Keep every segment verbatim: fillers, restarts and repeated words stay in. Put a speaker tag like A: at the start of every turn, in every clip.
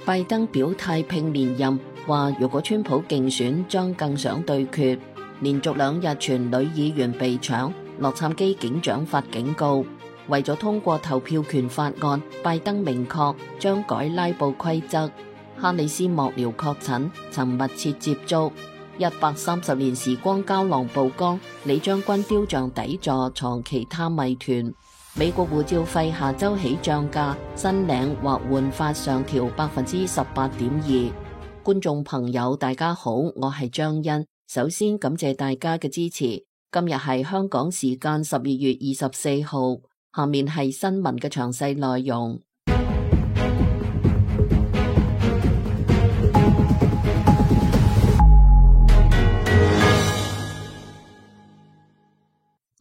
A: 拜登表態拼連任，話如果川普競選將更想對決。連續兩日傳女議員被搶，洛杉磯警長發警告。為咗通過投票權法案，拜登明確將改拉布規則。哈里斯幕僚確診，曾密切接觸。一百三十年時光膠囊曝光，李將軍雕像底座藏其他謎團。美國護照費下周起漲價，新領或換發上調百分之十八點二。觀眾朋友大家好，我係張欣，首先感謝大家嘅支持。今日係香港時間十二月二十四號，下面係新聞嘅詳細內容。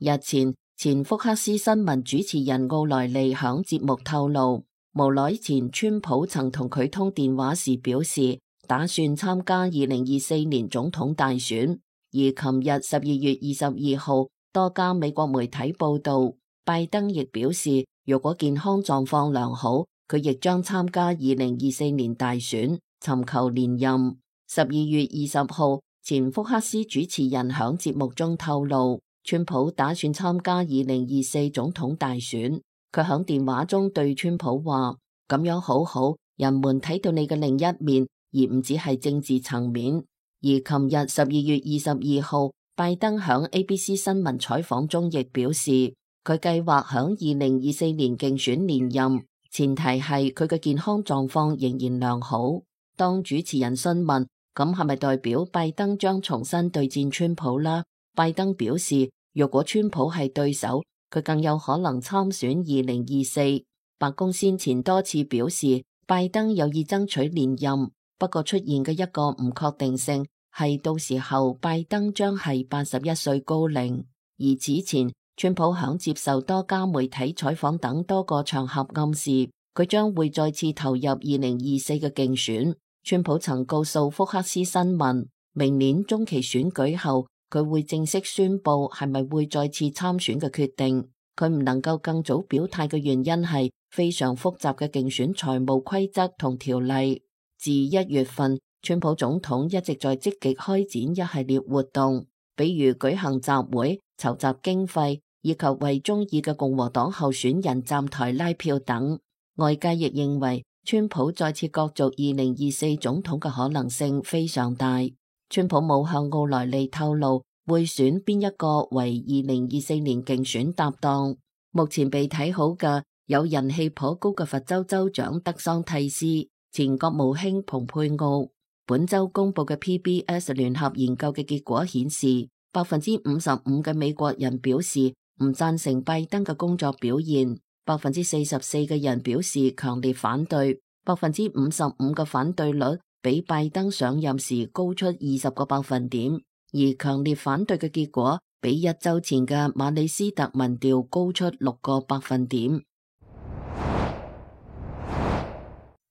A: 日前，前福克斯新聞主持人奧萊利響節目透露，無耐前川普曾同佢通電話時表示，打算參加二零二四年總統大選。而琴日十二月二十二號，多家美國媒體報道，拜登亦表示，如果健康狀況良好，佢亦將參加二零二四年大選，尋求連任。十二月二十號，前福克斯主持人響節目中透露，川普打算參加二零二四總統大選。佢響電話中對川普話：咁樣好好，人們睇到你嘅另一面，而唔只係政治層面。而琴日十二月二十二號，拜登響 A B C 新聞採訪中亦表示，佢計劃響二零二四年競選連任，前提係佢嘅健康狀況仍然良好。當主持人詢問咁係咪代表拜登將重新對戰川普啦？拜登表示，若果川普係對手，佢更有可能參選二零二四。白宮先前多次表示，拜登有意爭取連任，不過出現嘅一個唔確定性係到時候拜登將係八十一歲高齡。而此前，川普響接受多家媒體採訪等多個場合暗示，佢將會再次投入二零二四嘅競選。川普曾告訴福克斯新聞，明年中期選舉後，佢會正式宣布係咪會再次參選嘅決定。佢唔能夠更早表態嘅原因係非常複雜嘅競選財務規則同條例。自一月份，川普總統一直在積極開展一系列活動，比如舉行集會、籌集經費，以及為中意嘅共和黨候選人站台拉票等。外界亦認為，川普再次角逐二零二四總統嘅可能性非常大。川普冇向奧萊利透露會選邊一個為二零二四年競選搭檔。目前被睇好嘅有人氣頗高嘅佛州州長德桑蒂斯、前國務卿蓬佩奧。本周公布嘅 P B S 聯合研究嘅結果顯示，百分之五十五嘅美國人表示唔贊成拜登嘅工作表現，百分之四十四嘅人表示強烈反對，百分之五十五嘅反對率比拜登上任時高出二十個百分點，而強烈反對嘅結果比一周前嘅馬里斯特民調高出六個百分點。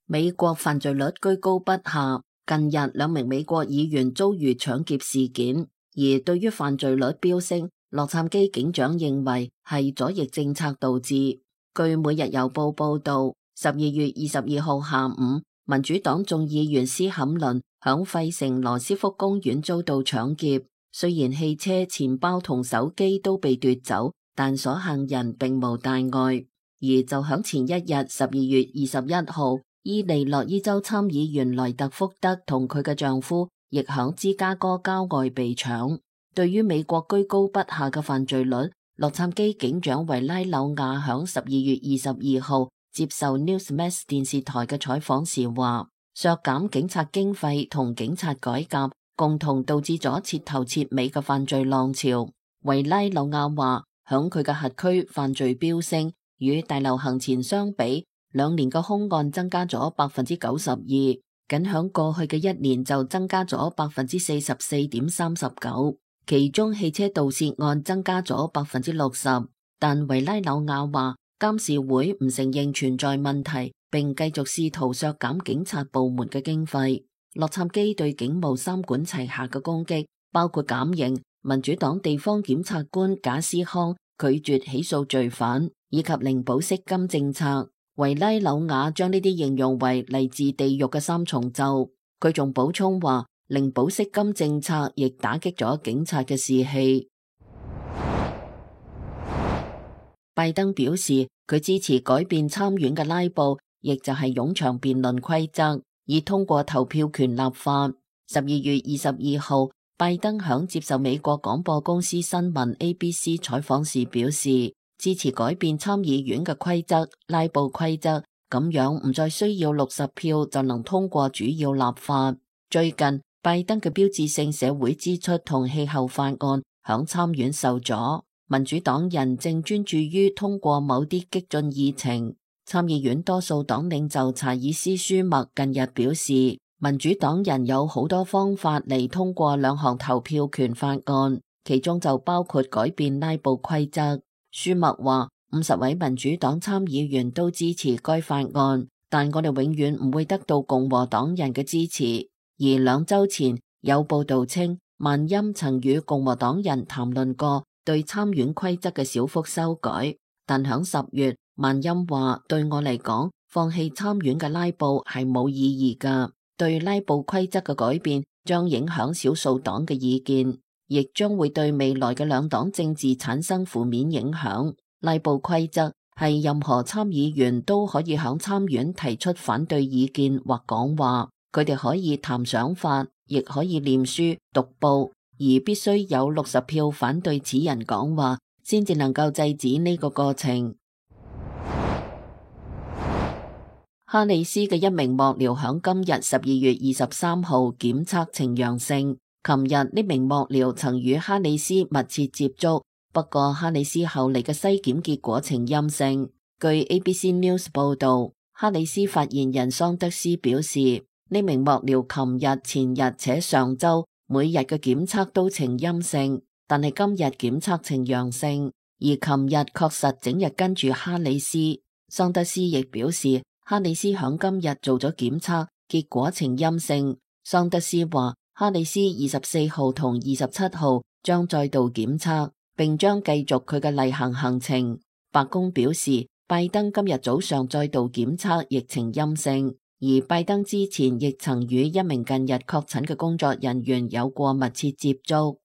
A: 美國犯罪率居高不下，近日兩名美國議員遭遇搶劫事件，而對於犯罪率飆升，洛杉磯警長認為係左翼政策導致。據每日郵報報道，十二月二十二號下午，民主黨眾議員斯坎倫響費城羅斯福公園遭到搶劫，雖然汽車、錢包同手機都被奪走，但所幸人並無大礙。而就響前一日十二月二十一號，伊利諾伊州參議員萊特福德同佢嘅丈夫亦響芝加哥郊外被搶。對於美國居高不下嘅犯罪率，洛杉磯警長維拉紐亞響十二月二十二號接受 Newsmax 電視台嘅採訪時話，削減警察經費同警察改革共同導致咗徹頭徹尾嘅犯罪浪潮。維拉紐亞話，響佢嘅轄區犯罪飆升，與大流行前相比，兩年嘅兇案增加咗百分之九十二，僅響過去嘅一年就增加咗百分之四十四點三十九，其中汽車盜竊案增加咗百分之六十。但維拉紐亞話，監事會唔承認存在問題，並繼續試圖削減警察部門嘅經費。洛杉磯對警務三管齊下嘅攻擊，包括減刑、民主黨地方檢察官賈斯康拒絕起訴罪犯，以及零保釋金政策。維拉紐瓦將呢啲形容為嚟自地獄嘅三重奏。佢仲補充話，零保釋金政策亦打擊咗警察嘅士氣。拜登表示，佢支持改變參院嘅拉布，亦就係冗長辯論規則，以通過投票權立法。十二月二十二號，拜登響接受美國廣播公司新聞 A B C 採訪時表示，支持改變參議院嘅規則，拉布規則，咁樣唔再需要六十票就能通過主要立法。最近，拜登嘅標誌性社會支出同氣候法案響參院受阻，民主黨人正專注於通過某啲激進議程。參議院多數黨領袖查爾斯舒默近日表示，民主黨人有好多方法嚟通過兩項投票權法案，其中就包括改變拉布規則。舒默話，五十位民主黨參議員都支持該法案，但我哋永遠唔會得到共和黨人嘅支持。而兩週前有報道稱，曼欽曾與共和黨人談論過對參院規則嘅小幅修改，但響十月，曼欽話，對我嚟講，放棄參院嘅拉布係冇意義㗎。對拉布規則嘅改變將影響少數黨嘅意見，亦將會對未來嘅兩黨政治產生負面影響。拉布規則係任何參議員都可以響參院提出反對意見或講話。佢哋可以談想法，亦可以念書、讀報，而必須有六十票反對此人講話，先至能夠制止呢個過程。哈里斯嘅一名幕僚響今日十二月二十三號檢測呈陽性。琴日呢名幕僚曾與哈里斯密切接觸，不過哈里斯後嚟嘅篩檢結果呈陰性。據 A B C News 報道，哈里斯發言人桑德斯表示，呢名幕僚琴日、前日且上週每日嘅檢測都呈陰性，但係今日檢測呈陽性，而琴日確實整日跟住哈里斯。桑德斯亦表示，哈里斯響今日做咗檢測，結果呈陰性。桑德斯話，哈里斯二十四號同二十七號將再度檢測，並將繼續佢嘅例行行程。白宮表示，拜登今日早上再度檢測，亦呈陰性。而拜登之前亦曾與一名近日確診嘅工作人員有過密切接觸。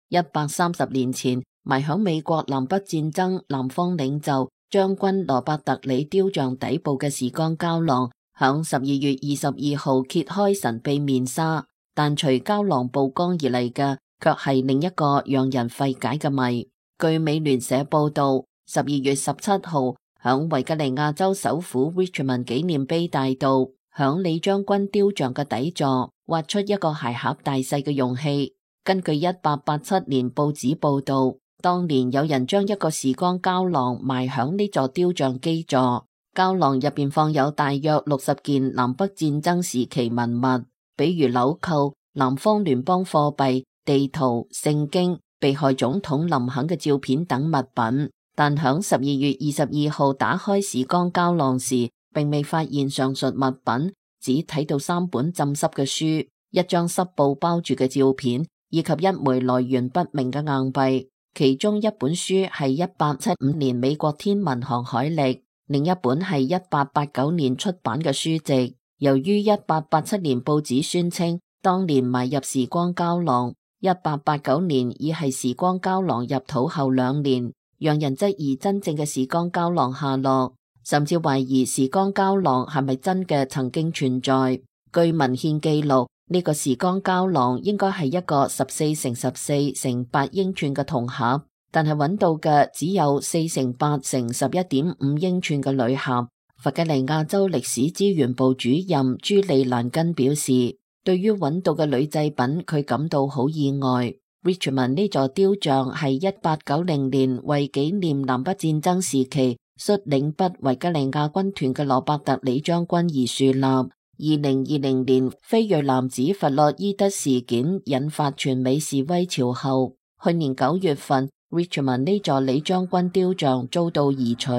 A: 一百三十年前，埋響美國南北戰爭南方領袖將軍羅伯特里雕像底部嘅時光膠囊，響十二月二十二號揭開神秘面紗，但隨膠囊曝光而嚟嘅，卻係另一個讓人費解嘅謎。據美聯社報道，十二月十七號，響維吉尼亞州首府 Richmond 紀念碑大道，響李將軍雕像嘅底座挖出一個鞋盒大細嘅容器。根據一八八七年報紙報道，當年有人將一個時光膠囊埋響呢座雕像基座，膠囊入邊放有大約六十件南北戰爭時期文物，比如紐扣、南方聯邦貨幣、地圖、聖經、被害總統林肯嘅照片等物品。但響十二月二十二號打開時光膠囊時，並未發現上述物品，只睇到三本浸濕嘅書、一張濕布包住嘅照片，以及一枚來源不明嘅硬幣。其中一本書係一八七五年美國天文航海歷，另一本係一八八九年出版嘅書籍。由於一八八七年報紙宣稱當年埋入時光膠囊，一八八九年已係時光膠囊入土後兩年，讓人質疑真正嘅時光膠囊下落，甚至懷疑時光膠囊係咪真嘅曾經存在。據文獻記錄，呢個時光膠囊應該係一個十四乘十四乘八英寸嘅銅盒，但係揾到嘅只有四乘八乘十一點五英寸嘅鋁盒。弗吉尼亞州歷史資源部主任朱利蘭根表示，對於揾到嘅鋁製品，佢感到好意外。Richmond 呢座雕像係一八九零年為紀念南北戰爭時期率領北維吉尼亞軍團嘅羅伯特里將軍而樹立。二零二零年非裔男子弗洛伊德事件引發全美示威潮後，去年九月份 Richmond 呢座李將軍雕像遭到移除。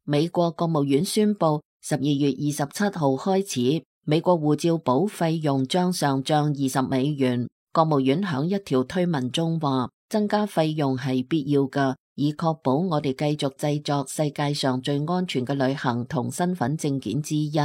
A: 美國國務院宣布，十二月二十七號開始，美國護照簿費用將上漲二十美元。國務院響一條推文中話，增加費用係必要㗎，以確保我哋繼續製作世界上最安全嘅旅行同身份證件之一。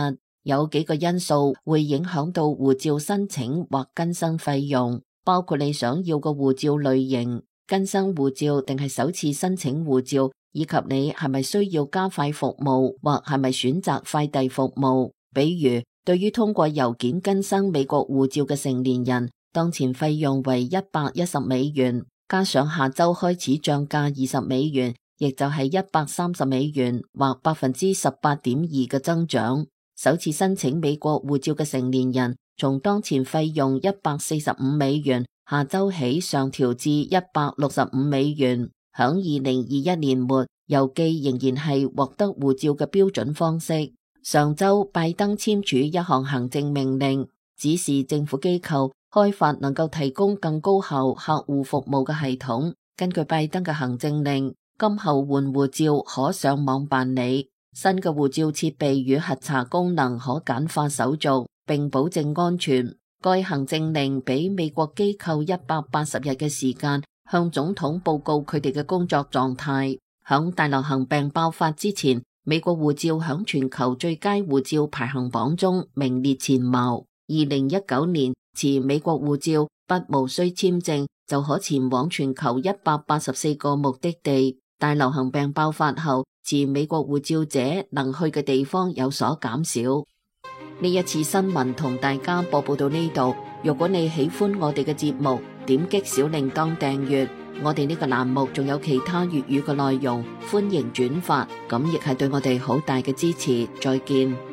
A: 有幾個因素會影響到護照申請或更新費用，包括你想要嘅護照類型、更新護照定係首次申請護照，以及你係咪需要加快服務或係咪選擇快遞服務。比如，對於通過郵件更新美國護照嘅成年人，當前費用為一百一十美元，加上下周開始漲價二十美元，亦就係一百三十美元或百分之十八點二嘅增長。首次申請美國護照嘅成年人，從當前費用一百四十五美元，下周起上調至一百六十五美元。響二零二一年末，郵寄仍然係獲得護照嘅標準方式。上周拜登簽署一項行政命令，指示政府機構開發能夠提供更高效客戶服務嘅系統。根據拜登嘅行政令，今後換護照可上網辦理。新嘅護照設備與核查功能可簡化手續，並保證安全。該行政令俾美國機構一百八十日嘅時間，向總統報告佢哋嘅工作狀態。響大流行病爆發之前，美國護照響全球最佳護照排行榜中名列前茅。二零一九年，持美國護照不無需簽證就可前往全球一百八十四個目的地。大流行病爆發後，持美國護照者能去嘅地方有所減少。呢一次新聞同大家播報到呢度。如果你喜歡我哋嘅節目，點擊小鈴鐺訂閱。我哋呢個欄目仲有其他粵語嘅內容，歡迎轉發，咁亦係對我哋好大嘅支持。再見。